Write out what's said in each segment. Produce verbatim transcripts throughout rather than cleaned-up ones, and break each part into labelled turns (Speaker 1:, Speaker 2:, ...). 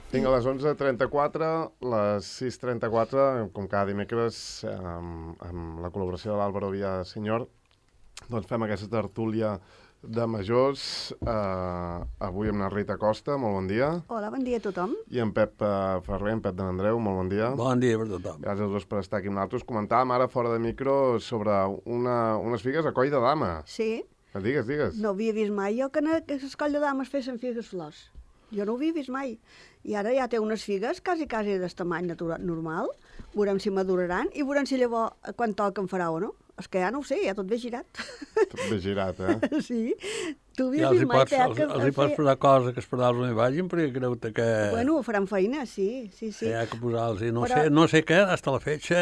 Speaker 1: Tinc a les onze trenta-quatre, les sis trenta-quatre, com cada dimecres, amb, amb la col·laboració de l'Àlvaro Villasenyor, doncs fem aquesta tertúlia de majors. Uh, avui amb la Rita Costa, molt bon dia.
Speaker 2: Hola, bon dia a tothom.
Speaker 1: I en Pep uh, Ferrer, en Pep de Andreu, molt bon dia.
Speaker 3: Bon dia per tothom.
Speaker 1: Gràcies als dos per estar aquí amb nosaltres. Comentàvem ara fora de micro sobre una, unes figues a coll de dama.
Speaker 2: Sí.
Speaker 1: Digues, digues.
Speaker 2: No havia vist mai jo que a les coll de dames fessin figues flors. Jo no ho havia vist mai. I ara ja té unes figues quasi, quasi d'estamany natural, normal. Veurem si maduraran i veurem si llavors quan toquen farà o no. És que ja no ho sé, ja tot ve girat.
Speaker 1: Tot ve girat, eh?
Speaker 2: Sí. Tu havies
Speaker 3: Ja
Speaker 2: vist mai,
Speaker 3: pots,
Speaker 2: Pep,
Speaker 3: els,
Speaker 2: que...
Speaker 3: els hi pots posar cosa que els pedals no hi vagin, perquè creu-te que...
Speaker 2: Bueno, faran feina, sí, sí, sí.
Speaker 3: que hi ha que posar-los. No,
Speaker 2: Però...
Speaker 3: sé, no sé què, hasta la fetge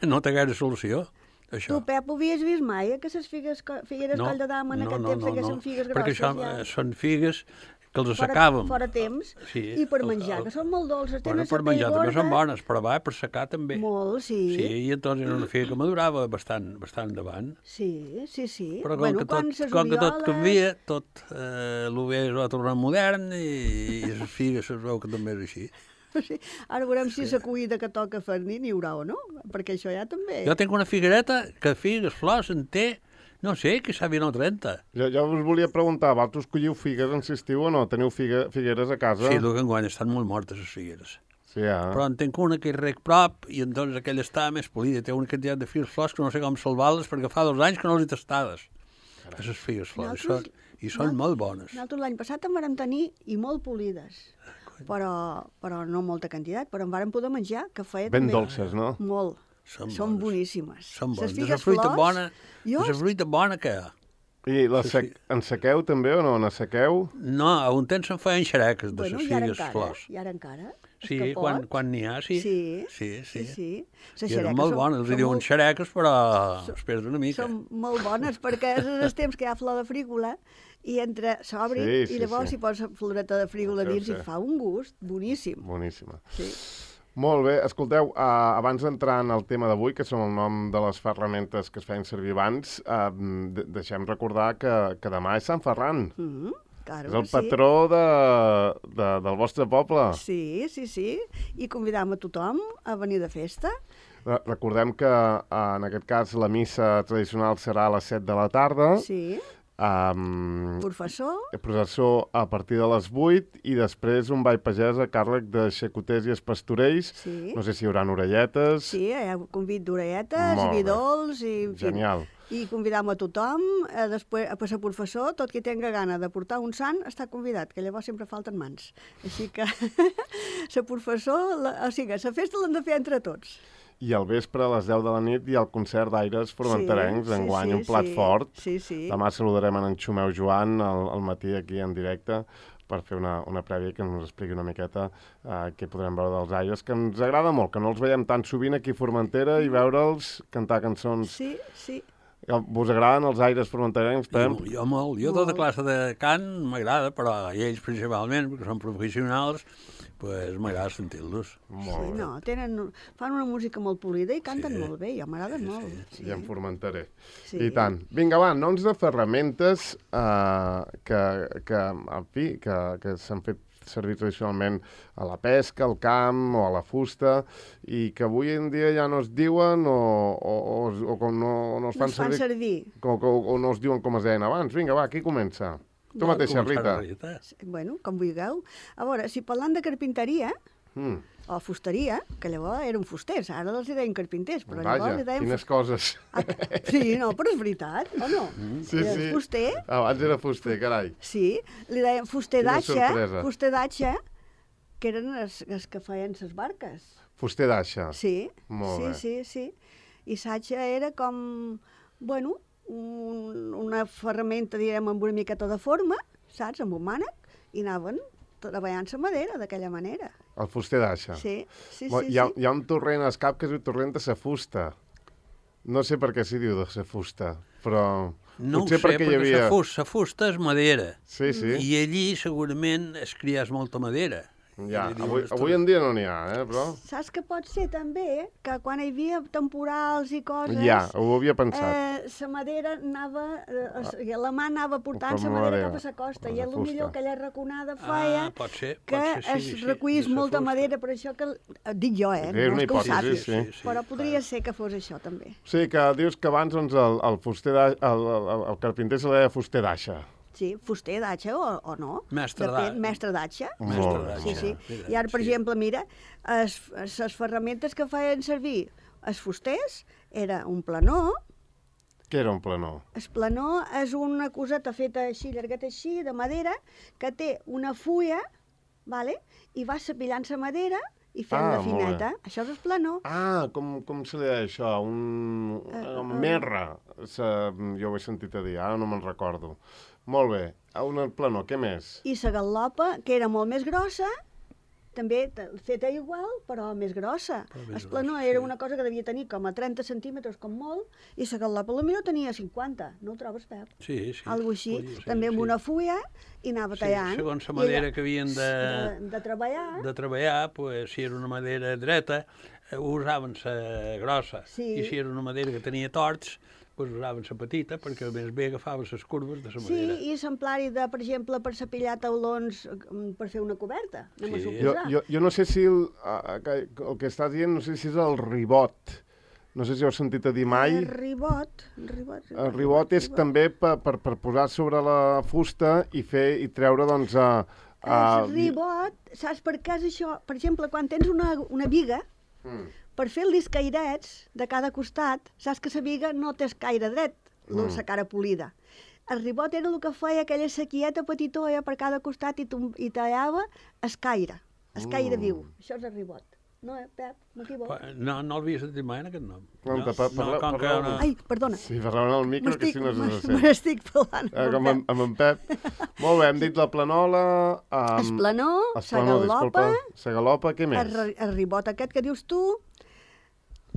Speaker 3: no té gaire solució, això.
Speaker 2: Tu, Pep, ho havies vist mai, eh, que les figues, figueres
Speaker 3: no,
Speaker 2: coll de dama en
Speaker 3: no,
Speaker 2: aquest
Speaker 3: no,
Speaker 2: temps
Speaker 3: no,
Speaker 2: feien
Speaker 3: no,
Speaker 2: figues grosses?
Speaker 3: perquè això
Speaker 2: ja.
Speaker 3: són figues que els
Speaker 2: Fora,
Speaker 3: assecàvem.
Speaker 2: fora temps,
Speaker 3: Sí,
Speaker 2: i per
Speaker 3: el-
Speaker 2: menjar,
Speaker 3: el-
Speaker 2: que són molt dolces,
Speaker 3: Bueno,
Speaker 2: tenen
Speaker 3: per
Speaker 2: la pell
Speaker 3: menjar també
Speaker 2: gorda.
Speaker 3: són bones, però va, per secar també.
Speaker 2: Molt, sí.
Speaker 3: Sí, i entonces era una figa que madurava bastant, bastant endavant.
Speaker 2: Sí, sí, sí.
Speaker 3: Però com,
Speaker 2: bueno,
Speaker 3: que,
Speaker 2: quan
Speaker 3: tot,
Speaker 2: ses
Speaker 3: com que tot
Speaker 2: orioles-
Speaker 3: canvia, tot eh, l'U V es va tornar modern i, i les figues es veu que també és així.
Speaker 2: Sí. Ara veurem si la cuida que toca fer-n'hi n'hi haurà o no, perquè això ja també...
Speaker 3: Jo tinc una figuereta que figues, flors, en té, no sé, que s'ha vint o trenta.
Speaker 1: Jo, jo us volia preguntar, vosaltres colliu figues en estiu o no? Teniu figue, figueres a casa?
Speaker 3: Sí, el que enguany estan molt mortes, les figueres.
Speaker 1: Sí, ja.
Speaker 3: Però en tinc una que és rec prop i doncs aquella està més polida. Té una quantitat de figues flors que no sé com salvar-les perquè fa dos anys que no les he tastades. Aquestes figues flors. I són, i són molt bones.
Speaker 2: Nosaltres l'any passat en vàrem tenir i molt polides, però, però no molta quantitat, però en vàrem poder menjar, que feia
Speaker 1: Ben
Speaker 2: també...
Speaker 1: dolces, no?
Speaker 2: Molt.
Speaker 3: Són
Speaker 2: Són
Speaker 3: bones.
Speaker 2: boníssimes.
Speaker 3: Són
Speaker 2: Les
Speaker 3: bones.
Speaker 2: figues
Speaker 3: És la fruita
Speaker 2: flors,
Speaker 3: bona,
Speaker 2: jo...
Speaker 3: és la fruita bona que hi ha.
Speaker 1: I la sec... en sequeu també o no? En sequeu?
Speaker 3: No, a un temps se'n feien xereques de
Speaker 2: Bueno,
Speaker 3: les
Speaker 2: i ara
Speaker 3: figues
Speaker 2: encara,
Speaker 3: flors.
Speaker 2: i ara encara. és
Speaker 3: Sí,
Speaker 2: que
Speaker 3: quan,
Speaker 2: pot.
Speaker 3: quan n'hi ha, sí.
Speaker 2: Sí,
Speaker 3: sí. sí.
Speaker 2: sí. sí. Les
Speaker 3: I eren
Speaker 2: xereques
Speaker 3: molt
Speaker 2: són-
Speaker 3: bones, els hi
Speaker 2: són
Speaker 3: diuen
Speaker 2: molt-
Speaker 3: xereques, però espera't una mica.
Speaker 2: Són molt bones, perquè és el temps que hi ha flor de frígola i entre s'obri
Speaker 1: Sí, sí,
Speaker 2: i llavors
Speaker 1: sí.
Speaker 2: s'hi posa floreta de frígola
Speaker 1: Sí,
Speaker 2: dins
Speaker 1: sí.
Speaker 2: i fa un gust boníssim.
Speaker 1: Boníssima.
Speaker 2: Sí.
Speaker 1: Molt bé, escolteu, uh, abans d'entrar en el tema d'avui, que són el nom de les ferramentes que es feien servir abans, uh, de deixem recordar que, que demà és Sant Ferran.
Speaker 2: Mm -hmm. Claro,
Speaker 1: És el
Speaker 2: sí.
Speaker 1: patró de, de, del vostre poble.
Speaker 2: Sí, sí, sí. I convidam a tothom a venir de festa.
Speaker 1: Re- Recordem que uh, en aquest cas la missa tradicional serà a les set de la tarda.
Speaker 2: Sí.
Speaker 1: Um,
Speaker 2: Professor.
Speaker 1: processó a partir de les vuit i després un ball pagès a càrrec de xacoters i espastorells.
Speaker 2: Sí.
Speaker 1: No sé si hi haurà orelletes.
Speaker 2: Sí, hi ha convit d'orelletes
Speaker 1: Molt
Speaker 2: i
Speaker 1: bé.
Speaker 2: vidols i... En fi,
Speaker 1: Genial.
Speaker 2: I convidam a tothom, a, després, a passar professor, tot qui tenga gana de portar un sant està convidat, que llavors sempre falten mans. Així que ser professor, la, o sigui, la festa l'hem de fer entre tots.
Speaker 1: I al vespre, a les deu de la nit, hi ha el concert d'aires formenterencs,
Speaker 2: Sí, sí,
Speaker 1: enguany
Speaker 2: sí,
Speaker 1: un plat
Speaker 2: sí.
Speaker 1: fort.
Speaker 2: Sí, sí.
Speaker 1: Demà saludarem en Xumeu Joan al, al matí aquí en directe per fer una, una prèvia que ens expliqui una miqueta uh, què podrem veure dels aires, que ens agrada molt, que no els veiem tan sovint aquí a Formentera i veure'ls cantar cançons.
Speaker 2: Sí, sí.
Speaker 1: Vos agraden els aires formenterencs, Pep?
Speaker 3: Jo, jo molt. Jo tota classe de cant m'agrada, però ells principalment, perquè són professionals, pues m'agrada sentir-los.
Speaker 1: Molt
Speaker 2: Sí,
Speaker 1: bé.
Speaker 2: no, tenen, fan una música molt polida i canten
Speaker 3: Sí.
Speaker 2: molt bé, jo m'agraden
Speaker 3: Sí,
Speaker 2: molt.
Speaker 3: sí.
Speaker 1: I en Formenteré.
Speaker 2: Sí.
Speaker 1: I tant. Vinga, va, noms de ferramentes uh, que, que, en fi, que, que s'han fet servir tradicionalment a la pesca, al camp o a la fusta i que avui en dia ja no es diuen o, o, o, o com no, no es
Speaker 2: No
Speaker 1: fan
Speaker 2: es fan
Speaker 1: servir,
Speaker 2: servir.
Speaker 1: o, o, o no es diuen com es deien abans. Vinga, va, qui comença? Tu
Speaker 2: No,
Speaker 1: mateixa,
Speaker 3: Començar
Speaker 1: Rita.
Speaker 3: la Rita.
Speaker 2: Bueno, com vulgueu. A veure, si parlant de carpinteria
Speaker 1: Mm,
Speaker 2: o fusteria, que llavors eren fusters, ara els hi deien carpinters, però
Speaker 1: vaja,
Speaker 2: llavors li deien...
Speaker 1: quines coses.
Speaker 2: Ah, sí, no, però és veritat, o no?
Speaker 1: Sí,
Speaker 2: Era
Speaker 1: sí.
Speaker 2: Fuster,
Speaker 1: Abans era fuster, carai.
Speaker 2: sí, li deien fuster
Speaker 1: Quina
Speaker 2: d'aixa,
Speaker 1: sorpresa.
Speaker 2: fuster d'aixa, que eren els, els que feien les barques.
Speaker 1: Fuster d'aixa.
Speaker 2: Sí,
Speaker 1: Molt
Speaker 2: sí,
Speaker 1: bé.
Speaker 2: sí, sí. I s'aixa era com, bueno, un, una ferramenta, direm, amb una miqueta de forma, saps, amb un mànec, i anaven treballant la madera d'aquella manera.
Speaker 1: El fuster d'aixa.
Speaker 2: Sí, sí,
Speaker 1: Bo,
Speaker 2: sí.
Speaker 1: hi, ha,
Speaker 2: sí.
Speaker 1: hi ha un torrent al cap que es diu torrent de sa fusta. No sé per què s'hi diu de sa fusta, però
Speaker 3: No ho
Speaker 1: potser
Speaker 3: sé,
Speaker 1: perquè hi
Speaker 3: perquè
Speaker 1: havia...
Speaker 3: la fusta, la fusta és madera.
Speaker 1: Sí, sí.
Speaker 3: I allí segurament es criàs molta madera.
Speaker 1: Ja, avui, avui en dia no n'hi ha, eh, però...
Speaker 2: Saps que pot ser també que quan hi havia temporals i coses...
Speaker 1: Ja, ho havia pensat.
Speaker 2: Eh, sa madera anava... Eh, la mà anava portant
Speaker 1: Com
Speaker 2: sa
Speaker 1: la
Speaker 2: madera
Speaker 1: madera,
Speaker 2: cap a sa costa
Speaker 1: la
Speaker 2: i
Speaker 1: fusta.
Speaker 2: potser aquella raconada feia
Speaker 3: Ah, pot ser, pot
Speaker 2: que
Speaker 3: ser, sí,
Speaker 2: es
Speaker 3: sí,
Speaker 2: recuís
Speaker 3: de sa
Speaker 2: molta
Speaker 3: fusta.
Speaker 2: madera, per això que... eh, Dic jo, eh?
Speaker 1: És
Speaker 2: No
Speaker 1: una
Speaker 2: és que ho
Speaker 1: hipòtesi,
Speaker 2: sàpiga.
Speaker 1: sí.
Speaker 3: sí,
Speaker 2: Però podria
Speaker 3: clar.
Speaker 2: ser que fos això, també.
Speaker 1: Sí, que dius que abans doncs, el, el, fuster da, el, el, el carpinter se li deia fuster d'aixa.
Speaker 2: Sí, fuster d'atxa o, o no.
Speaker 3: Mestre
Speaker 2: Depèn,
Speaker 3: d'atxa.
Speaker 2: mestre d'atxa.
Speaker 3: Mestre
Speaker 1: Molt bé.
Speaker 3: d'atxa.
Speaker 2: Sí, sí.
Speaker 3: Mira,
Speaker 2: I ara, per
Speaker 3: sí.
Speaker 2: exemple, mira, les ferramentes que feien servir els fusters era un planó.
Speaker 1: Què era un planó?
Speaker 2: El planó és una coseta feta així, llargueta així, de madera, que té una fulla, vale? I vas cepillant la madera i fent
Speaker 1: Ah,
Speaker 2: la
Speaker 1: molt bé.
Speaker 2: fineta. Això és el planó.
Speaker 1: Ah, com, com se li deia això? Un...
Speaker 2: Eh,
Speaker 1: Uh,
Speaker 2: eh,
Speaker 1: merra. Se, jo ho he sentit a dir, ara no me'n recordo. Molt bé. Un planó, què més?
Speaker 2: I la gal·lopa, que era molt més grossa, també t- feta igual, però més grossa.
Speaker 3: Però més
Speaker 2: El planó
Speaker 3: grossa,
Speaker 2: era
Speaker 3: sí.
Speaker 2: una cosa que devia tenir com a trenta centímetres, com molt, i la gal·lopa potser tenia cinquanta. No ho trobes, Pep?
Speaker 3: Sí, sí.
Speaker 2: Algo així,
Speaker 3: Podria ser,
Speaker 2: també amb
Speaker 3: sí.
Speaker 2: una fulla, i anava
Speaker 3: Sí,
Speaker 2: tallant.
Speaker 3: segons la
Speaker 2: I
Speaker 3: manera
Speaker 2: allò-
Speaker 3: que havien de,
Speaker 2: de, de treballar.
Speaker 3: de treballar, pues, si era una madera dreta, eh, usaven la grossa.
Speaker 2: Sí.
Speaker 3: I si era una madera que tenia torts, pues, usaven la petita, perquè més bé agafaven les curves de la
Speaker 2: Sí,
Speaker 3: madera.
Speaker 2: i exemplari de, per exemple, per cepillar taulons eh, per fer una coberta. Anem a
Speaker 3: Sí.
Speaker 1: Jo,
Speaker 2: suposar.
Speaker 1: jo, jo no sé si el, a- a- el que estàs dient, no sé si és el ribot. No sé si ho has sentit a dir mai.
Speaker 2: El ribot. El ribot,
Speaker 1: El ribot és també per, per, per posar sobre la fusta i fer i treure, doncs, a... a
Speaker 2: El ribot, saps per què és això? Per exemple, quan tens una, una viga,
Speaker 1: Mm.
Speaker 2: per fer els cairets de cada costat, saps que la viga no té el caire dret, la
Speaker 1: Mm.
Speaker 2: cara polida. El ribot era el que feia aquella sequieta petitoia per cada costat i, tom- i tallava el caire, el caire
Speaker 1: Mm.
Speaker 2: viu. Això és el ribot. No, eh, Pep? M'equivoco?
Speaker 3: No, no l'havia sentit mai en aquest nom.
Speaker 1: No,
Speaker 3: no,
Speaker 1: pa- parla-
Speaker 3: com que
Speaker 1: parla-
Speaker 3: no-
Speaker 2: Ai, perdona.
Speaker 1: Sí, parlàvem al micro, que
Speaker 2: M'estic-
Speaker 1: si no se
Speaker 2: me
Speaker 1: sent.
Speaker 2: n'estic parlant.
Speaker 1: Eh,
Speaker 2: amb
Speaker 1: com
Speaker 2: el
Speaker 1: amb, amb en Pep. Molt bé, hem dit la planola... Um,
Speaker 2: Es planó,
Speaker 1: es
Speaker 2: sa
Speaker 1: planó,
Speaker 2: gal·lopa,
Speaker 1: disculpa. Sa galopa, què
Speaker 2: el,
Speaker 1: més?
Speaker 2: ri- el ribot aquest que dius tu,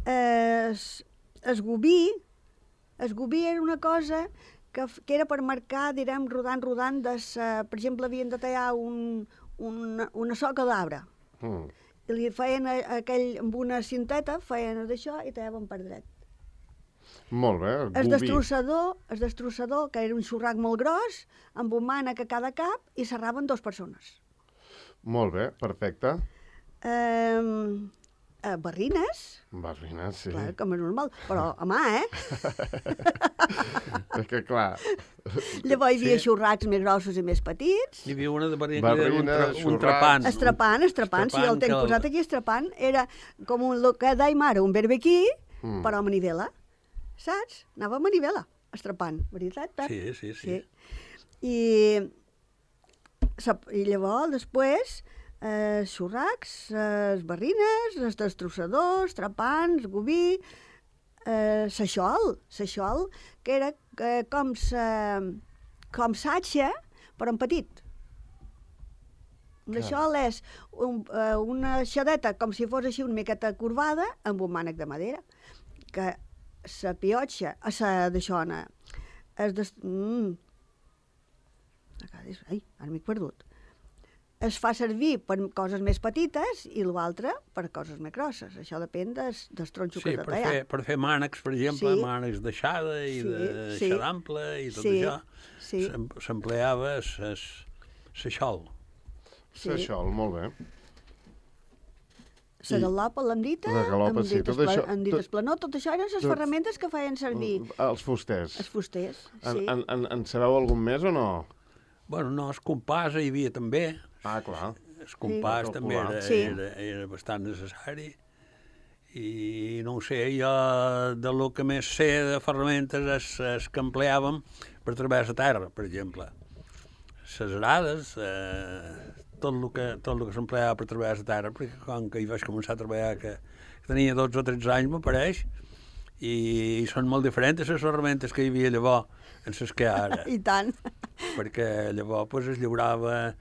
Speaker 2: es, es gubí, es gubí era una cosa que, f- que era per marcar, direm, rodant, rodant, de sa, per exemple, havien de tallar un, una, una soca d'arbre.
Speaker 1: Mm.
Speaker 2: I li feien a, aquell, amb una cinteta, feien d'això i tallaven per dret.
Speaker 1: Molt bé, el
Speaker 2: El
Speaker 1: gubí.
Speaker 2: destrossador, el destrossador, que era un xurrac molt gros, amb un mànec a cada cap, i serraven dos persones.
Speaker 1: Molt bé, perfecte.
Speaker 2: Um, eh, barrines,
Speaker 1: Barrina, sí.
Speaker 2: clar, com és normal, però a mà, eh?
Speaker 1: És que, clar,
Speaker 2: Llavors hi havia
Speaker 3: Sí.
Speaker 2: xurracs més grossos i més petits.
Speaker 3: Hi havia una de barrina
Speaker 1: Barrina,
Speaker 3: que era un, tra un
Speaker 1: xurracs.
Speaker 3: trapant.
Speaker 2: Estrapant, estrapant, sí, el
Speaker 3: Estrapant,
Speaker 2: tenc
Speaker 3: que el-
Speaker 2: posat aquí, estrapant. Era com un, lo que deim ara, un berbequí,
Speaker 1: Mm.
Speaker 2: però a manivela, saps? Anava a manivela, estrapant, veritat, Pep?
Speaker 3: Sí, sí, sí.
Speaker 2: I, sap- i llavors, després, eh, xurracs, eh, barrines, els destrossadors, trapants, gubí, eh, saixol, saixol, que era eh, com sa, com satxa, però en petit. Un
Speaker 1: Clar.
Speaker 2: daixol és un, eh, una xadeta com si fos així una miqueta corbada amb un mànec de madera, que sa piotxa, a sa d'aixona, es des... Mm. Ai, ara m'he perdut. Es fa servir per coses més petites i l'altre per coses més grosses. Això depèn des, dels tronxos
Speaker 3: Sí,
Speaker 2: que has de
Speaker 3: per
Speaker 2: tallar.
Speaker 3: fer, per fer mànecs, per exemple,
Speaker 2: Sí.
Speaker 3: mànecs d'aixada i
Speaker 2: Sí,
Speaker 3: de
Speaker 2: sí.
Speaker 3: xadample i tot
Speaker 2: Sí,
Speaker 3: això,
Speaker 2: sí.
Speaker 3: s'em- s'empleava s'aixol.
Speaker 2: Sí.
Speaker 1: això, molt bé.
Speaker 2: La galopa, l'hem dit,
Speaker 1: La galopa,
Speaker 2: hem
Speaker 1: sí,
Speaker 2: dit
Speaker 1: tot
Speaker 2: espla-
Speaker 1: això-
Speaker 2: hem dit
Speaker 1: tot-
Speaker 2: esplanó, tot això eren les
Speaker 1: tot-
Speaker 2: ferramentes que feien servir
Speaker 1: Els fusters.
Speaker 2: els fusters.
Speaker 1: En,
Speaker 2: Sí.
Speaker 1: en, en, en sabeu algun més o no?
Speaker 3: Bueno, no, el compàs hi havia també.
Speaker 1: Ah, clar.
Speaker 3: El compàs
Speaker 1: Sí.
Speaker 3: també era,
Speaker 2: Sí.
Speaker 3: era, era bastant necessari. I no ho sé, jo de lo que més sé de ferramentes és, és que empleàvem per treballar la terra, per exemple. Les arades, eh, tot el que, tot el que s'empleava per treballar la terra, perquè com que hi vaig començar a treballar, que, que tenia dotze o tretze anys, m'apareix, i, i són molt diferents les ferramentes que hi havia llavors en les que hi ha ara.
Speaker 2: I tant.
Speaker 3: Perquè llavors pues, es lliurava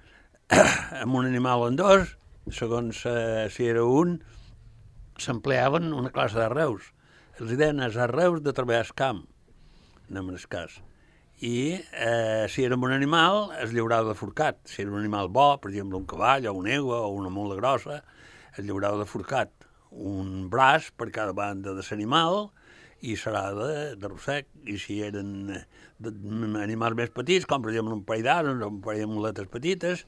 Speaker 3: amb un animal o en dos, segons eh, si era un, s'empleaven una classe d'arreus. Els deien els arreus de treballar al camp, anem en el cas. i eh, si era un animal es lliurava de forcat. Si era un animal bo, per exemple un cavall o una egua o una mula grossa, es lliurava de forcat. Un braç per cada banda de l'animal i serà de, de rossec. I si eren de, animals més petits, com per exemple un parell d'ases o un parell de muletes petites,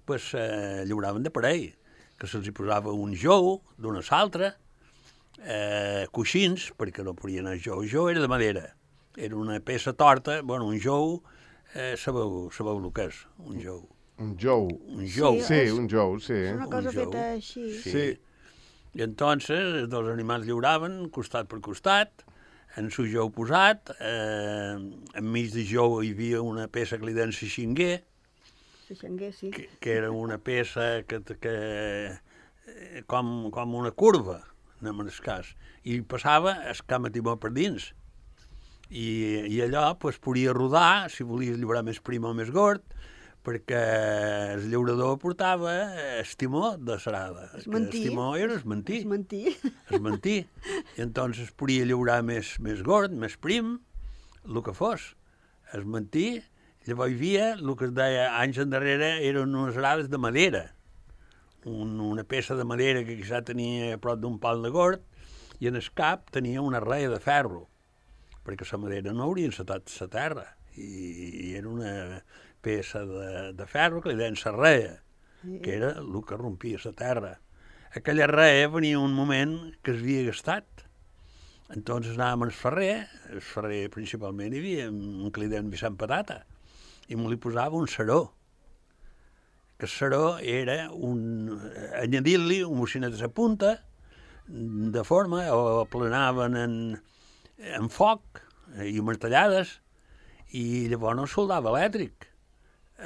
Speaker 3: pues, eh, lliuraven de parell, que se'ls hi posava un jou d'una a l'altra, eh, coixins, perquè no podien anar jou. El jou era de madera. Era una peça torta, bueno, un jou, eh, sabeu, sabeu el que és, un jou.
Speaker 1: Un jou.
Speaker 3: Un jou.
Speaker 1: Sí, sí un jou, sí.
Speaker 2: És una cosa
Speaker 3: Un jou.
Speaker 2: feta així.
Speaker 3: Sí.
Speaker 1: Sí.
Speaker 3: I entonces els dos animals lliuraven, costat per costat, en su jou posat, eh, enmig de jou hi havia una peça que li deien xinguer,
Speaker 2: Xanguer, sí.
Speaker 3: que, que era una peça que, que eh, com, com una curva, anem en el cas, i passava el camp a timó per dins. I, i allò pues, podia rodar, si volies lliurar més prim o més gord, perquè el llaurador portava el timó de serada.
Speaker 2: Es mentí.
Speaker 3: El timó era es mentí.
Speaker 2: Es mentí.
Speaker 3: Es mentí. I entonces podia llaurar més, més gord, més prim, el que fos. Es mentí. Llavors hi havia, el que es deia anys endarrere, eren unes arades de madera. Un, una peça de madera que quizà tenia a prop d'un pal de gord, i en el cap tenia una reia de ferro, perquè la madera no hauria encetat la terra, i, i era una peça de, de ferro que li deien la reia, que era el que rompia la terra. Aquella reia venia un moment que es havia gastat. Entonces anàvem al ferrer, el ferrer principalment hi havia un que li deien Vicent Patata, i me li posava un saró, que el saró era un... añadir-li un bocinet a la punta, de forma, o plenaven en, en foc i martellades, i llavors no es soldava elèctric.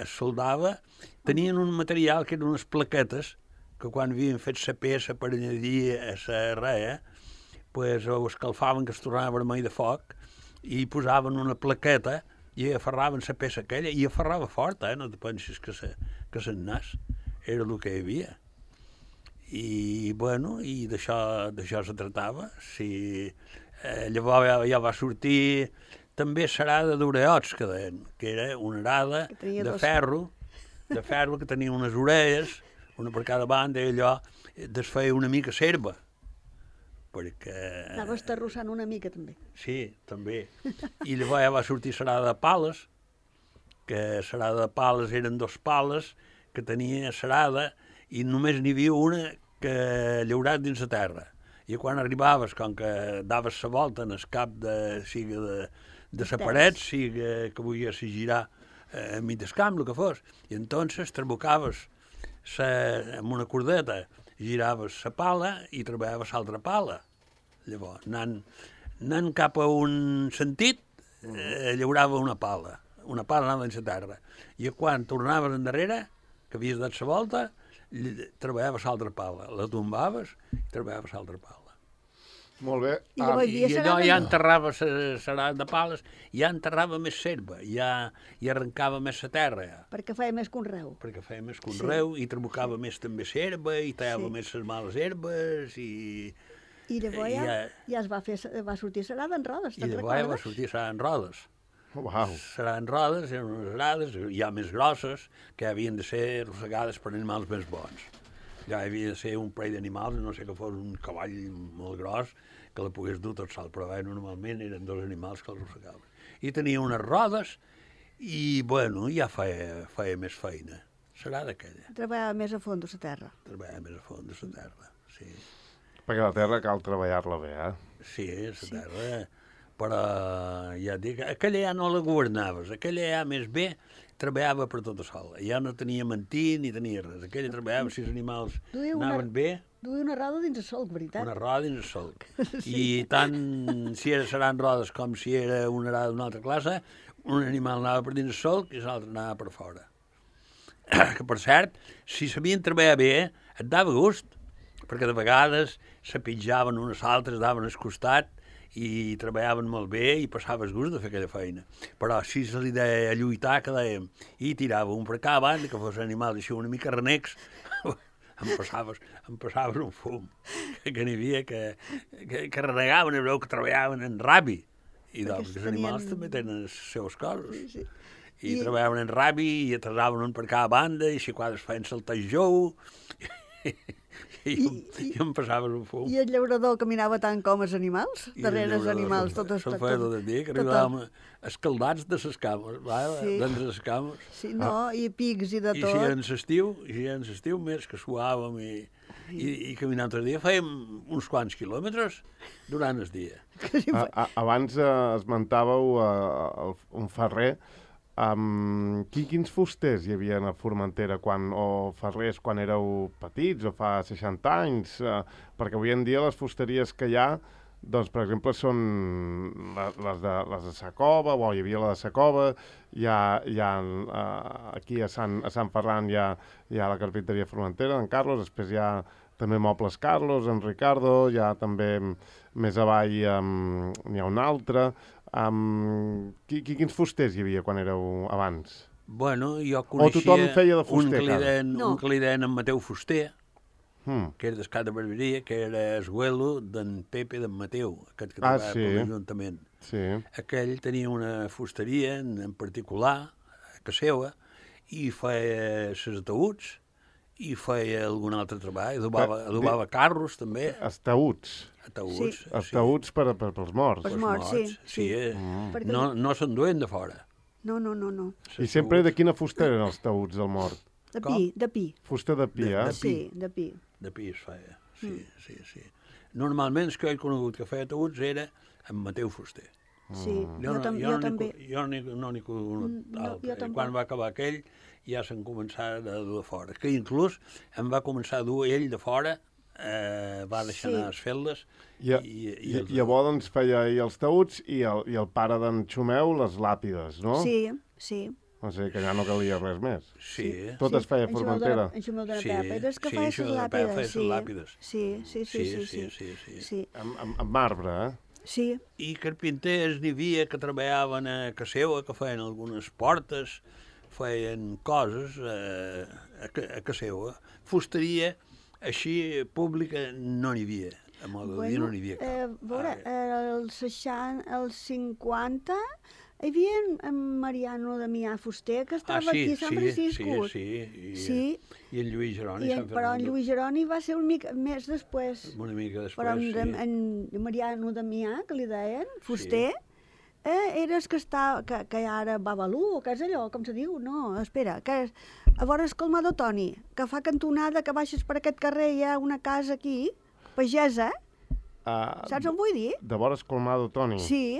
Speaker 3: Es soldava... Tenien un material que eren unes plaquetes que quan havien fet la peça per añadir a la reia, pues, ho escalfaven, que es tornava vermell de foc, i posaven una plaqueta i aferraven la peça aquella, i aferrava fort, eh? No te pensis que se, que se'n nas. Era el que hi havia. I, bueno, i d'això se tractava. Si, eh, llavors ja, ja va sortir també l'arada d'oreots, que deien, que era una arada de dos... ferro, de ferro que tenia unes orelles, una per cada banda, i allò desfeia una mica serva. Perquè...
Speaker 2: Anaves terrossant una mica, també.
Speaker 3: Sí, també. I llavors ja va sortir l'arada de pales, que l'arada de pales eren dos pales que tenia l'arada i només n'hi havia una que llaurat dins la terra. I quan arribaves, com que daves la volta en el cap de, sigui de, de la paret, sigui que volguessis girar eh, enmig del camp, el que fos, i entonces trabucaves sa, amb una cordeta, giraves la pala i treballaves l'altra pala. Llavors, anant, anant cap a un sentit, eh, llaurava una pala. Una pala anava dins la terra. I quan tornaves endarrere, que havies dat la volta, treballaves l'altra pala. La tombaves i treballaves l'altra pala.
Speaker 1: Molt bé.
Speaker 2: I
Speaker 1: Ah,
Speaker 2: llavors-
Speaker 3: I allò ja enterrava l'arada de pales, ja enterrava més serva, ja, ja arrencava més la terra, ja.
Speaker 2: Perquè feia més conreu.
Speaker 3: Perquè feia més conreu, sí. I trabucava més també serva, i tallava
Speaker 2: Sí.
Speaker 3: més les males herbes, i...
Speaker 2: I llavors ja,
Speaker 3: Ja-
Speaker 2: ja es va, fer, va sortir l'arada en rodes,
Speaker 3: I
Speaker 2: te'n
Speaker 3: llavors ja va
Speaker 2: recordes?
Speaker 3: sortir serà en rodes.
Speaker 1: Uau.
Speaker 3: Serà en rodes, eren unes arades, ja més grosses, que havien de ser arrossegades per animals més bons. Ja havia de ser un parell d'animals, no sé que fos un cavall molt gros, que la pogués dur tot sol, però bé, normalment eren dos animals que l'arrossegaven. I tenia unes rodes i, bueno, ja feia, feia més feina. Serà d'aquella.
Speaker 2: Treballava més a fons la terra.
Speaker 3: Treballava més a fons de la terra, sí.
Speaker 1: Perquè la terra cal treballar-la bé, eh?
Speaker 3: Sí, la terra, però ja et dic, aquella ja no la governaves, aquella ja més bé treballava per tota sola. Ja no tenia mentí ni tenia res. Aquella treballava si els animals
Speaker 2: Duia una-
Speaker 3: anaven bé,
Speaker 2: Duia una roda dins el solc, veritat?
Speaker 3: una roda dins el solc. I tant si era, seran rodes com si era una arada d'una altra classe, un animal anava per dins el solc i l'altre anava per fora. Que, per cert, si sabien treballar bé, et dava gust, perquè de vegades se pitjaven unes altres, daven al costat i treballaven molt bé i passaves gust de fer aquella feina. Però si se li deia lluitar, que dèiem, i tirava un per cada banda, que fos animals així una mica renecs, em passaves, em passaves un fum, que, que n'hi havia que, que, que renegaven, veu que treballaven en rabi, I doncs, els
Speaker 2: tenien...
Speaker 3: animals també tenen els seus coses.
Speaker 2: Sí, sí.
Speaker 3: I,
Speaker 2: I
Speaker 3: treballaven en rabi, i atrasaven un per cada banda, i si quadres feien saltar el jou, i, i, I, i em passaven un fum.
Speaker 2: I el llaurador caminava tant com els animals, darrere els animals, tot
Speaker 3: Se'n feia tot el dia, que arribàvem escaldats de les cames, sí. d'entre les cames.
Speaker 2: Sí, no, ah. i pics i de tot.
Speaker 3: I si era en l'estiu, i si era en l'estiu més que suàvem i, i, i caminant tot el dia, fèiem uns quants quilòmetres durant el dia.
Speaker 1: A, a, abans eh, esmentàveu eh, un ferrer. Um, qui, quins fusters hi havia a Formentera quan, o ferrers quan éreu petits o fa seixanta anys? Uh, perquè avui en dia les fusteries que hi ha, doncs, per exemple, són les, les, de, les de Sacova, o hi havia la de Sacova, hi ha, hi ha uh, aquí a Sant, a Sant Ferran hi ha, hi ha la carpinteria Formentera, en Carlos, després hi ha també Mobles Carlos, en Ricardo, hi ha també més avall um, n'hi ha un altre. Um, qui, qui, quins fusters hi havia quan éreu abans?
Speaker 3: Bueno, jo coneixia
Speaker 1: o tothom feia de fuster,
Speaker 3: un client,
Speaker 2: no.
Speaker 3: un client en Mateu Fuster,
Speaker 1: hmm.
Speaker 3: que era d'Escat de Barberia, que era esguelo d'en Pepe d'en Mateu, aquest que
Speaker 1: ah,
Speaker 3: treballava
Speaker 1: sí.
Speaker 3: per l'Ajuntament.
Speaker 1: Sí.
Speaker 3: Aquell tenia una fusteria en, en particular, a casa seva, i feia els ataüts, i feia algun altre treball, adobava, adobava carros també.
Speaker 1: Els taüts.
Speaker 3: Ataüts,
Speaker 2: sí.
Speaker 1: Els taüts per, per, pels morts.
Speaker 2: Pels morts, sí.
Speaker 3: sí. sí. Eh?
Speaker 1: Mm.
Speaker 3: No, no s'enduen de fora.
Speaker 2: No, no, no, no.
Speaker 1: I sempre de quina fusta eren els taüts del mort?
Speaker 2: De
Speaker 3: Com?
Speaker 2: pi, de pi.
Speaker 1: Fusta de pi,
Speaker 3: De-
Speaker 1: eh?
Speaker 3: de pi.
Speaker 2: Sí, de pi.
Speaker 3: De pi es feia, sí, mm. sí, sí. Normalment el que he conegut que feia taüts era en Mateu Fuster.
Speaker 2: Sí,
Speaker 3: Jo,
Speaker 2: jo,
Speaker 3: no,
Speaker 2: tam
Speaker 3: jo,
Speaker 2: jo
Speaker 3: no
Speaker 2: també.
Speaker 3: N'hi, jo n'hi, no n'hi conegut
Speaker 2: Mm, no,
Speaker 3: altre.
Speaker 2: jo tampoc.
Speaker 3: Quan va acabar aquell ja se'n començava a dur de fora. Que inclús em va començar a dur ell de fora, eh, va deixar
Speaker 2: Sí.
Speaker 3: anar les feldes.
Speaker 1: I, i, i, i llavors doncs, feia ell els taüts i el, i el pare d'en Xumeu les làpides, no?
Speaker 2: Sí, sí.
Speaker 1: O sigui que ja no calia res més.
Speaker 3: Sí,
Speaker 1: Tot
Speaker 2: sí.
Speaker 1: es feia a
Speaker 2: En Xumel de la-
Speaker 1: Formentera.
Speaker 2: En Xumel de la
Speaker 3: Sí,
Speaker 2: Pepa. Era el que
Speaker 3: sí,
Speaker 2: feia
Speaker 3: en Xumel
Speaker 2: les
Speaker 3: de la Pepa
Speaker 2: làpides.
Speaker 3: feia les
Speaker 2: Sí.
Speaker 3: làpides.
Speaker 2: Sí, sí, sí, sí, sí.
Speaker 3: sí, sí.
Speaker 2: Sí,
Speaker 1: Amb, amb, amb marbre, eh?
Speaker 2: sí.
Speaker 3: I carpinters n'hi havia que treballaven a casa seva, que feien algunes portes, feien coses eh, a, ca- a casa seva. Fusteria, així, pública, no n'hi havia. A modo de dir, no n'hi havia cap.
Speaker 2: Eh, veure,
Speaker 3: Ara,
Speaker 2: els seixanta, els cinquanta, hi havia en, en Mariano Damià Fuster, que estava
Speaker 3: ah, sí,
Speaker 2: aquí a Sant
Speaker 3: sí,
Speaker 2: Francisco.
Speaker 3: Sí, sí, i,
Speaker 2: Sí.
Speaker 3: i en Lluís Jeroni.
Speaker 2: I,
Speaker 3: Sant
Speaker 2: però en
Speaker 3: Fernando,
Speaker 2: Lluís Jeroni va ser una mica més després.
Speaker 3: Una mica després,
Speaker 2: Però en,
Speaker 3: sí.
Speaker 2: en Mariano Damià, que li deien, Fuster, sí. eh, era el que, està, que, que ara Babalú, o què és allò, com se diu? No, espera, que és, a veure el Colmado Toni, que fa cantonada, que baixes per aquest carrer, hi ha una casa aquí, pagesa,
Speaker 1: Uh,
Speaker 2: saps on vull dir?
Speaker 1: de vores Colmado, Toni.
Speaker 2: Sí,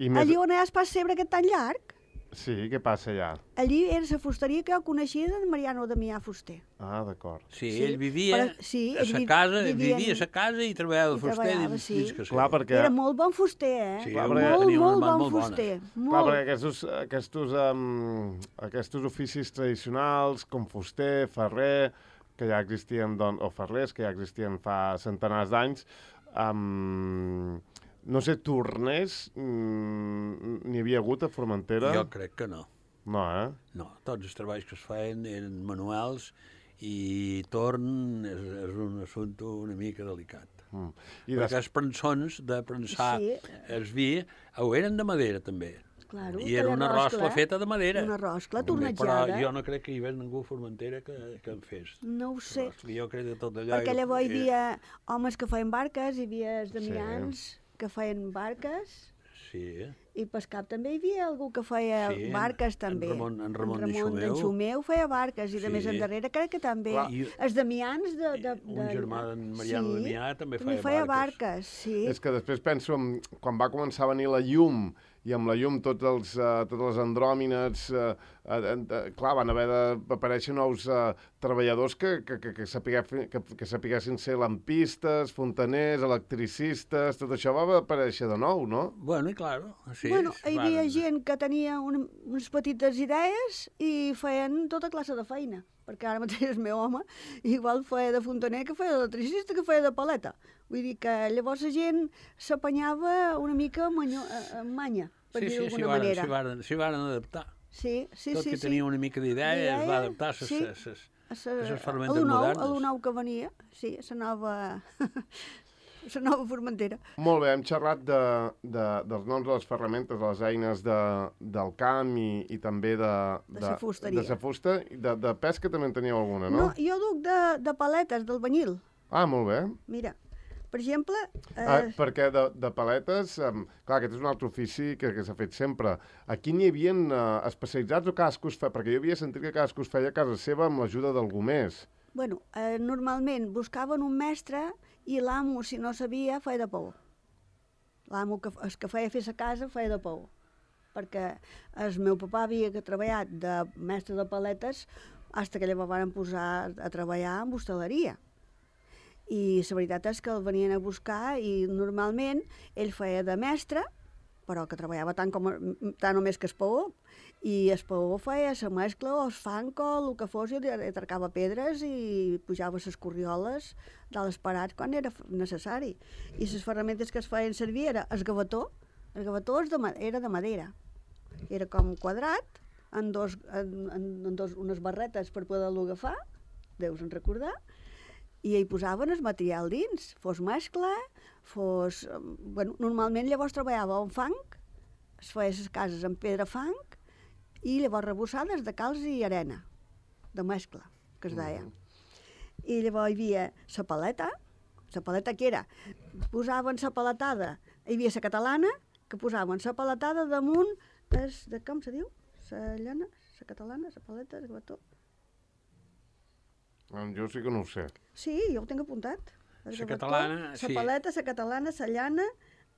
Speaker 1: I més...
Speaker 2: allí on hi ha el pas cebre aquest tan llarg,
Speaker 1: Sí, què passa allà?
Speaker 2: allí era la fusteria que jo coneixia de Mariano Damià Fuster.
Speaker 1: Ah, d'acord.
Speaker 3: Sí,
Speaker 2: Sí,
Speaker 3: ell vivia
Speaker 2: però- sí,
Speaker 3: a
Speaker 2: ell
Speaker 3: sa
Speaker 2: vi-
Speaker 3: casa,
Speaker 2: vivia
Speaker 3: vivia a
Speaker 2: en-
Speaker 3: sa casa i treballava de
Speaker 2: i
Speaker 3: fuster
Speaker 2: treballava,
Speaker 3: dins,
Speaker 2: sí.
Speaker 3: dins casa
Speaker 1: Clar,
Speaker 3: seva.
Speaker 1: perquè...
Speaker 2: Era molt bon fuster, eh?
Speaker 3: Sí,
Speaker 1: Clar,
Speaker 3: molt,
Speaker 1: perquè-
Speaker 2: molt,
Speaker 3: tenia unes
Speaker 2: molt
Speaker 3: mans
Speaker 2: bon
Speaker 3: molt bones.
Speaker 2: fuster.
Speaker 1: Clar,
Speaker 2: Molt.
Speaker 1: perquè aquests, aquests, um, aquests oficis tradicionals, com fuster, ferrer, que ja existien, doncs, o ferrers, que ja existien fa centenars d'anys, um, no sé, torners, mm, n'hi havia hagut a Formentera?
Speaker 3: Jo crec que no.
Speaker 1: No, eh?
Speaker 3: No, tots els treballs que es feien eren manuals i torn és, és un assumpte una mica delicat.
Speaker 1: Mm. I
Speaker 3: Perquè
Speaker 1: des...
Speaker 3: els prensons de prensar
Speaker 2: Sí.
Speaker 3: el vi ho eren de madera també.
Speaker 2: Claro,
Speaker 3: I era una roscla feta de madera.
Speaker 2: Una roscla
Speaker 3: També,
Speaker 2: tornejada.
Speaker 3: Però jo no crec que hi hagués ningú a Formentera que, que en fes.
Speaker 2: No ho sé,
Speaker 3: Roscla. Jo crec que tot allò...
Speaker 2: perquè llavors hi
Speaker 3: era-
Speaker 2: havia homes que feien barques, hi havia els damians que feien barques,
Speaker 3: Sí,
Speaker 2: i per cap també hi havia algú que feia
Speaker 3: Sí, en-
Speaker 2: barques
Speaker 3: en
Speaker 2: també.
Speaker 3: Ramon- en Ramon
Speaker 2: en
Speaker 3: de Xumeu.
Speaker 2: d'en Xumeu feia barques, i de
Speaker 3: Sí.
Speaker 2: més endarrere crec que també.
Speaker 1: Clar.
Speaker 3: I-
Speaker 2: Els damians de... de,
Speaker 3: un
Speaker 2: de
Speaker 3: germà d'en Mariano
Speaker 2: sí,
Speaker 3: Damià també
Speaker 2: també
Speaker 3: feia
Speaker 2: feia
Speaker 3: barques.
Speaker 2: barques, sí.
Speaker 1: És que després penso, en, quan va començar a venir la llum, i amb la llum tots els, uh, totes les andròmines, uh, uh, uh, clar, van haver d'aparèixer nous uh, treballadors que, que, que, que, sapigué, que, que sapiguessin ser lampistes, fontaners, electricistes, tot això va aparèixer de nou, no?
Speaker 3: Bueno, i claro, sí.
Speaker 2: Bueno, hi havia
Speaker 3: van-
Speaker 2: gent que tenia un, unes petites idees i feien tota classe de feina, perquè ara mateix el meu home igual feia de fontaner que feia d'electricista que feia de paleta. Vull dir que llavors la gent s'apanyava una mica manyo, eh, amb manya, per
Speaker 3: Sí,
Speaker 2: dir-ho
Speaker 3: sí, s'hi
Speaker 2: d'alguna
Speaker 3: varen,
Speaker 2: manera.
Speaker 3: s'hi varen, s'hi varen adaptar.
Speaker 2: Sí, sí,
Speaker 3: Tot
Speaker 2: sí.
Speaker 3: que
Speaker 2: sí.
Speaker 3: tenia una mica d'idea es va adaptar a ses,
Speaker 2: sí.
Speaker 3: ses,
Speaker 2: A
Speaker 3: ses
Speaker 2: sa-
Speaker 3: ferramentes
Speaker 2: a lo nou,
Speaker 3: modernes.
Speaker 2: A lo nou que venia, sí, la nova... la nova Formentera.
Speaker 1: Molt bé, hem xerrat de, de, dels noms de les ferramentes, de les eines de, del camp i, i també de...
Speaker 2: De la fusteria.
Speaker 1: De la fusta. De, de pesca també en teníeu alguna, no?
Speaker 2: No, jo duc de, de paletes, del banyil.
Speaker 1: Ah, molt bé.
Speaker 2: Mira, per exemple... Eh...
Speaker 1: Ah, perquè de, de paletes, um, clar, aquest és un altre ofici que, que s'ha fet sempre. Aquí n'hi havia uh, especialitzats o cadascú es feia? Perquè jo havia sentit que cadascú es feia a casa seva amb l'ajuda d'algú més.
Speaker 2: Bueno, eh, normalment buscaven un mestre i l'amo, si no sabia, feia de pou. L'amo, que, el que feia fer a casa, feia de pou. Perquè el meu papà havia treballat de mestre de paletes fins que llavors van posar a treballar en hostaleria. I la veritat és que el venien a buscar i normalment ell feia de mestre, però que treballava tant, com, tant o més que el paó, i el paó feia la mescla o el fang o el que fos, i atracava pedres i pujava les corrioles dalt els parats quan era necessari. I les ferramentes que es feien servir era el gavetó. El gavetó és de, era de madera. Era com quadrat, en, dos, en, en dos, unes barretes per poder-lo agafar, deus en recordar, i hi posaven el material dins, fos mescla, fos... Bueno, normalment llavors treballava en fang, es feia les cases amb pedra fang, i llavors rebossades de calç i arena, de mescla, que es deia. Mm. I llavors hi havia la paleta, la paleta que era, posaven la paletada, hi havia la catalana, que posaven la paletada damunt, es, de com se diu? La llana, la catalana, la paleta, el gavetó.
Speaker 1: Jo sí que no ho sé.
Speaker 2: Sí, jo ho tinc apuntat.
Speaker 3: La catalana,
Speaker 2: la
Speaker 3: sí.
Speaker 2: La paleta, la catalana, la llana...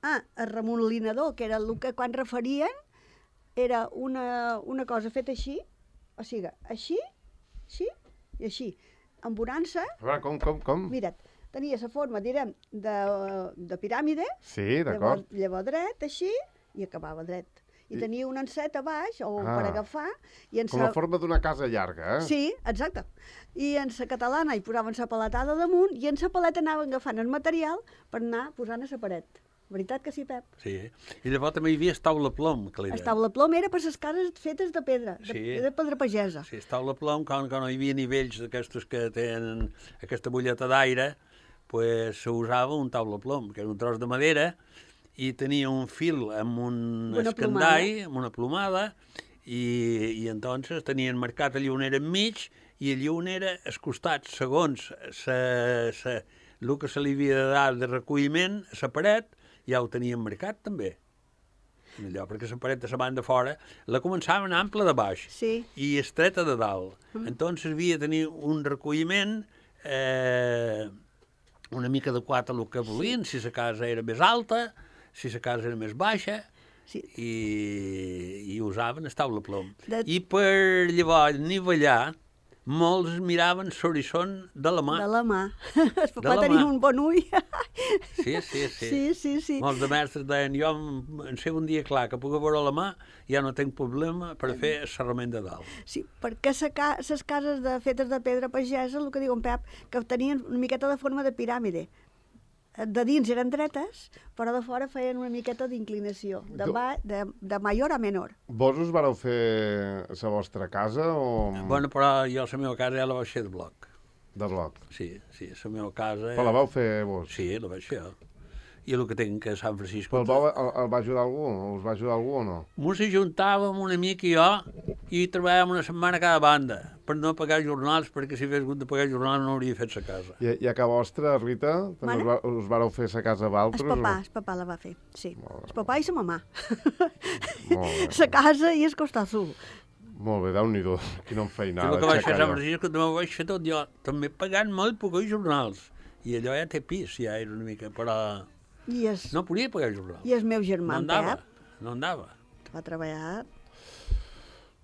Speaker 2: Ah, el remolinador, que era el que quan referien, era una, una cosa feta així, o sigui, així, així i així. Amb bonança...
Speaker 1: A veure, com, com, com?
Speaker 2: Mira't, tenia la forma, direm, de, de piràmide.
Speaker 1: Sí, d'acord.
Speaker 2: Llavors, llavors dret, així, i acabava dret. I, I tenia un encet a baix, o ah, per agafar... I en
Speaker 1: com
Speaker 2: sa...
Speaker 1: la forma d'una casa llarga, eh?
Speaker 2: Sí, exacte. I en la catalana hi posaven la paletada damunt i en la paleta anaven agafant el material per anar posant a la paret. Veritat que sí, Pep?
Speaker 3: Sí. I llavors també hi havia taula plom, que li deia.
Speaker 2: El taula plom era per les cases fetes de pedra, de,
Speaker 3: sí.
Speaker 2: de pedra pagesa.
Speaker 3: Sí, el taula plom, quan, quan no hi havia nivells d'aquestos que tenen aquesta bulleta d'aire, pues s'usava un taula plom, que era un tros de madera, i tenia un fil amb un escandall, amb una plomada, i, i entonces tenien marcat allí on era enmig, i allí on era als costats, segons sa, sa, el que se li havia de dar de recolliment, la paret, ja ho tenien marcat també. Allò, perquè la paret de la banda fora la començaven ampla de baix
Speaker 2: sí.
Speaker 3: i estreta de dalt. Mm. Entonces havia de tenir un recolliment eh, una mica adequat a el que volien, sí. si la casa era més alta, si la casa era més baixa, sí. i, i usaven el taula plom. De... I per llavors nivellar, molts miraven l'horitzó de la mà.
Speaker 2: De la mà. El papà tenia un bon ull.
Speaker 3: Sí, sí, sí.
Speaker 2: Sí, sí, sí.
Speaker 3: Molts de mestres deien, jo en sé un dia clar que puc veure la mà, ja no tinc problema per fer el serrament de dalt.
Speaker 2: Sí, perquè les ca cases de, fetes de pedra pagesa, el que diu en Pep, que tenien una miqueta de forma de piràmide. De dins eren dretes, però de fora feien una miqueta d'inclinació, de, de, de major a menor.
Speaker 1: Vos us vareu fer la vostra casa o...?
Speaker 3: Bueno, però jo la meva casa ja la vaig fer de bloc.
Speaker 1: De bloc?
Speaker 3: Sí, sí, la meva casa...
Speaker 1: Però la vau fer vos?
Speaker 3: Sí, la vaig fer jo. I el que tinc a Sant Francisco...
Speaker 1: Però el, vau, el, el va ajudar algú? Us va ajudar algú o no?
Speaker 3: Mos ajuntàvem un amic i jo i treballàvem una setmana a cada banda per no pagar jornals, perquè si hagués hagut de pagar jornals no hauria fet la casa.
Speaker 1: I, i a casa vostra, Rita, també us, va, us vareu fer la casa amb altres?
Speaker 2: El papà, el papà la va fer, sí. El papà i la mamà.
Speaker 1: La
Speaker 2: casa i el costat sul.
Speaker 1: Molt bé, Déu-n'hi-do, quina enfeinada.
Speaker 3: I el que vaig fer a Sant Francisco també ho vaig fer tot jo, també pagant molt pocs jornals. I allò ja té pis, ja era una mica, però...
Speaker 2: I es...
Speaker 3: No podia pagar jornal.
Speaker 2: I el meu germà,
Speaker 3: no andava,
Speaker 2: Pep?
Speaker 3: No andava.
Speaker 2: Va treballar...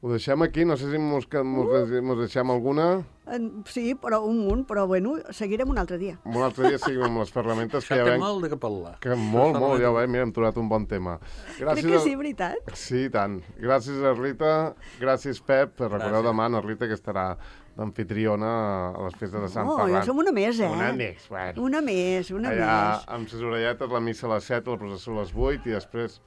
Speaker 1: Ho deixem aquí? No sé si mos, mos, uh. mos deixem alguna.
Speaker 2: En, sí, però un munt, però bueno, seguirem un altre dia.
Speaker 1: Un altre dia seguim amb les ferramentes.
Speaker 3: Això
Speaker 1: que ja
Speaker 3: té
Speaker 1: venc...
Speaker 3: molt de què parlar.
Speaker 1: Que molt, molt, ja ho veiem, mira, hem trobat un bon tema.
Speaker 2: Gràcies Crec que a... sí, veritat.
Speaker 1: Sí, tant. Gràcies a Rita, gràcies Pep. Recordeu demà a Rita que estarà d'anfitriona a les festes de Sant
Speaker 2: oh,
Speaker 1: Ferran.
Speaker 2: Jo som una més, eh?
Speaker 1: Una més, bueno.
Speaker 2: Una més, una
Speaker 1: Allà,
Speaker 2: més.
Speaker 1: amb les orelletes, la missa a les set, la processó a les vuit i després...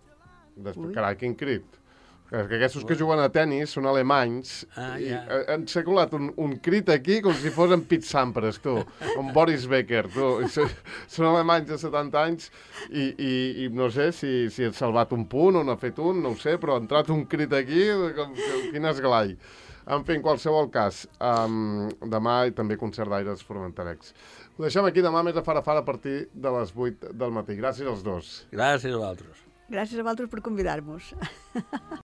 Speaker 1: després carai, quin crit. Que aquests que juguen a tennis són alemanys
Speaker 3: Ah,
Speaker 1: i
Speaker 3: ja.
Speaker 1: han circulat un, un crit aquí com si fos en Pete Sampras, tu, amb Boris Becker, tu. I són, són alemanys de setanta anys i, i, i no sé si, si ha salvat un punt o n'ha fet un, no ho sé, però ha entrat un crit aquí, com, com, quin esglai. En fi, en qualsevol cas, um, demà i també concert d'aires formenterecs. Ho deixem aquí, demà més a fara a fara a partir de les vuit del matí. Gràcies als dos.
Speaker 3: Gràcies a vosaltres.
Speaker 2: Gràcies a vosaltres per convidar-nos.